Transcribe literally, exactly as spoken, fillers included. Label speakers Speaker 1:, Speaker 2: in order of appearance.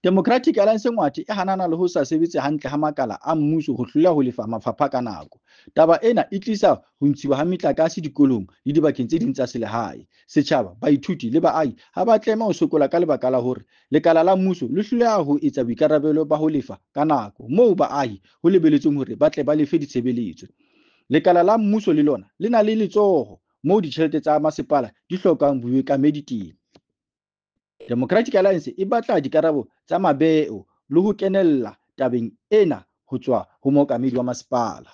Speaker 1: Democratic Alliance Ngwathe e hanana le ho sa sebetse hantle ha makala a mmuso ho hloleha ho lefa mafapha ka nako. Taba ena e tlisa ho ntshiwa ha metlakase dikolong le dibakeng tse ding tsa selehae. Setjhaba, baithuti le baahi ha ba tlameha ho sokola ka lebaka la hore lekala la mmuso le hloleha ho etsa boikarabelo ba ho lefa ka nako moo baahi ho lebeletsweng hore ba tle ba lefe ditshebeletso. Lekala la mmuso le lona le na le letsoho moo ditjhelete tsa masepala di hlokang bookamedi teng. Democratic Alliance e batla dikarabo tsa mabeo le ho kenella tabeng ena ho tswa ho mookamedi wa masepala.